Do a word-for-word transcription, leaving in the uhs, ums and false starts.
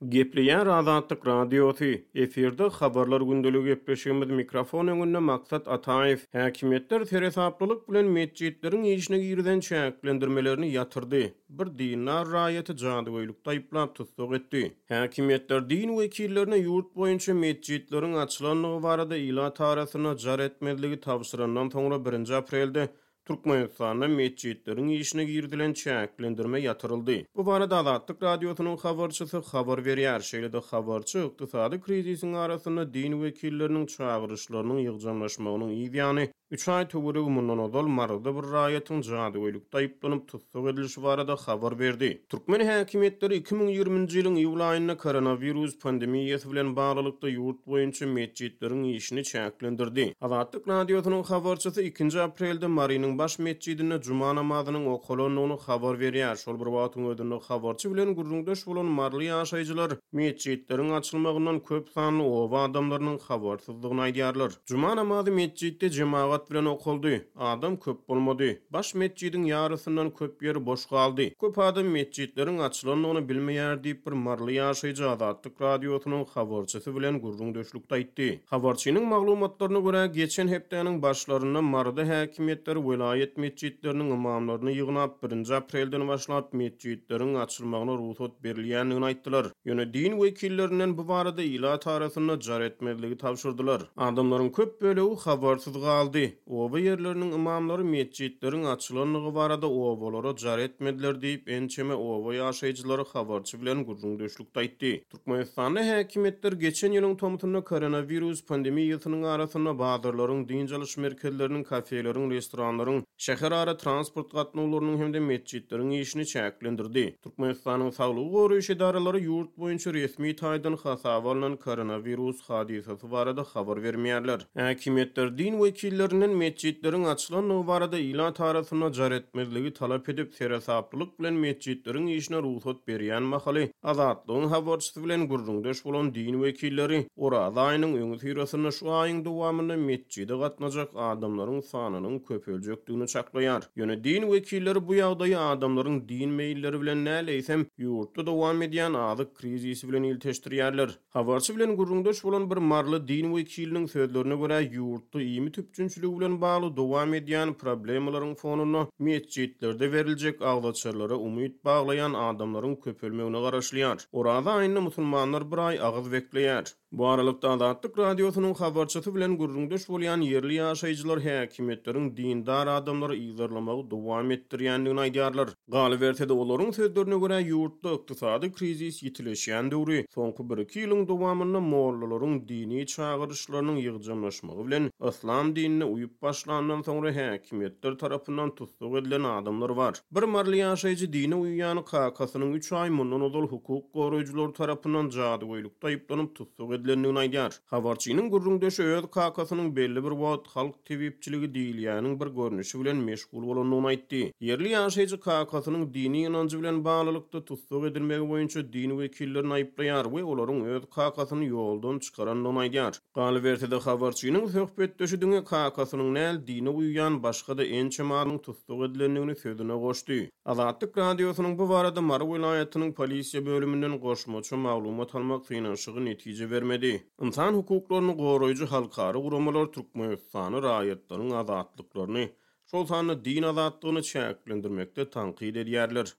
Gepleýär Azatlyk Radiosy, efirde Habarlar gündeligi gepleşigimiz, mikrofon öňünde Maksat Ataýew. Häkimiýetler seresaplylyk bilen metjitleriň işine girizen çäklendirmelerini ýatyrdy. Bir dindar raýaty jadygöýlükde aýyplap tussag etdi. Häkimiýetler din wekillerine ýurt boýunça metjitleriň açylandygy barada ilat arasynda jar etmezligi tabşyrandan soňra birinji aprelde Türkmenistanda metjitleriň işine girizilen çäklendirme ýatyryldy. Bu barada Azatlyk Radiosynyň habarçysy habar berýär. Şeýle-de habarçy ykdysady krizisiň arasynda din wekilleriniň çagyryşlarynyň ýygjamlaşmagynyň yz ýany üç aý töweregi mundan ozal Maryda bir raýatyň jadygöýlükde aýyplanyp tussag edilişi barada habar berdi. Türkmen häkimiýetleri iki müň ýigriminji ýylyň iýul aýynda koronawirus pandemiýasy bilen baglylykda ýurt boýunça metjitleriň işini çäklendirdi. Azatlyk Radiosynyň habarçysy ikinji aprelde Marynyň baş metjidinde juma namazynyň okalandygyny habar berýär. Şol bir wagtyň özünde habarçy bilen gürrüňdeş bolan maryly ýaşaýjylar metjitleriň açylmagyndan köp sanly oba adamlarynyň habarsyzdygyny aýdýarlar. Juma namazy metjitde jemagat bilen okaldy. Adam köp bolmady. Baş metjidiň ýarysyndan köp ýeri boş galdy. Köp adam metjitleriň açylandygyny bilmeýär diýip bir maryly ýaşaýjy Azatlyk Radiosynyň habarçysy bilen gürrüňdeşlikde aýtdy. Habarçynyň maglumatlaryna görä, geçen hepdäniň başlarynda Maryda häkimiýetler welaýat metjitleriniň imamlaryny ýygnap, birinji aprelden başlap metjitleriň açylmagyna rugsat berilýändigini aýtdylar. Ýöne din wekillerinden bu barada ilat arasynda jar etmezligi tabşyrdylar. Adamlaryň köp bölegi habarsyz galdy. Oba ýerleriniň imamlary metjitleriň açylandygy barada obalara jar etmediler diýip, ençeme oba ýaşaýjylary habarçy bilen gürrüňdeşlikde aýtdy. Türkmenistanda häkimiýetler geçen ýylyň tomsunda koronawirus pandemiýasynyň arasynda bazarlaryň, dynç alyş merkezleriniň, kafeleriň, restoranlaryň, şäherara transport gatnawlarynyň hem-de metjitleriň işini çäklendirdi. Türkmenistanyň saglygy goraýyş edaralary ýurt boýunça resmi taýdan hasaba alnan koronawirus hadysasy barada habar bermeýärler. Häkimiýetler din wekillerinden metjitleriň açylandygy barada ilat arasynda jar etmezligi talap edip, seresaplylyk bilen metjitleriň işine rugsat berýän mahaly Azatlygyň habarçysy bilen gürrüňdeş bolan din wekilleri Oraza aýynyň öňüsyrasynda şu aýyň dowamynda metjide gatnajak adamlaryň sanynyň köpeljekdigini çaklaýar. Ýöne din wekilleri bu ýagdaýy adamlaryň din meýilleri bilen näleýsem ýurtda dowam edýän azyk krizisi bilen ilteşdirýärler. Habarçy bilen gürrüňdeş bolan bir maryly din wekiliniň sözlerine görä, ýurtda iýmit üpjünçiligi bilen bagly dowam edýän problemalaryň fonunda metjitlerde beriljek agzaçarlara umyt baglaýan adamlaryň köpelmegine garaşylýar. Oraza aýynda musulmanlar bir aý agyz bekleýär. Bu aralykda Azatlyk Radiosynyň habarçysy bilen gürrüňdeş bolýan ýerli ýaşaýjylar häkimiýetleriň dindar adamlary yzarlamagy dowam etdirýändigini aýdýarlar. Galyberse-de olaryň sözlerine görä, ýurtda ykdysady krizis ýitileşýän döwri soňky bir iki ýylyň dowamynda mollalaryň dini çagyryşlarynyň ýygjamlaşmagy bilen yslam dinine uýup başlandan soňra häkimiýetler tarapyndan tussag edilen adamlar bar. Bir maryly ýaşaýjy dine uýýan kakasynyň üç aý mundan ozal hukuk goraýjylary tarapyndan jadygöýlükde aýyplanyp tussag edilendigini aýdýar. Habarçynyň gürrüňdeşi öz kakasynyň belli bir wagt halk tebipçiligi diýilýäniň bir görnüşi bilen meşgul bolandygyny aýtdy. Ýerli ýaşaýjy kakasynyň dini ynanjy bilen baglylykda tussag edilmegi boýunça din wekillerini aýyplaýar we olaryň öz kakasyny ýoldan çykarandygyny aýdýar. Galyberse-de habarçynyň söhbetdeşi diňe kakasynyň näl dine uýýan başga-da ençeme adamyň tussag edilendigini sözüne goşdy. Azatlyk Radiosynyň bu barada Mary welaýatynyň polisiýa bölüminden goşmaça maglumat almak synanyşygy netije bermedi. Ynsan hukuklaryny goraýjy halkara guramalar Türkmenistany raýatlaryň azatlyklaryny, şol sanda din azatlygyny çäklendirmekde tankyt edýärler.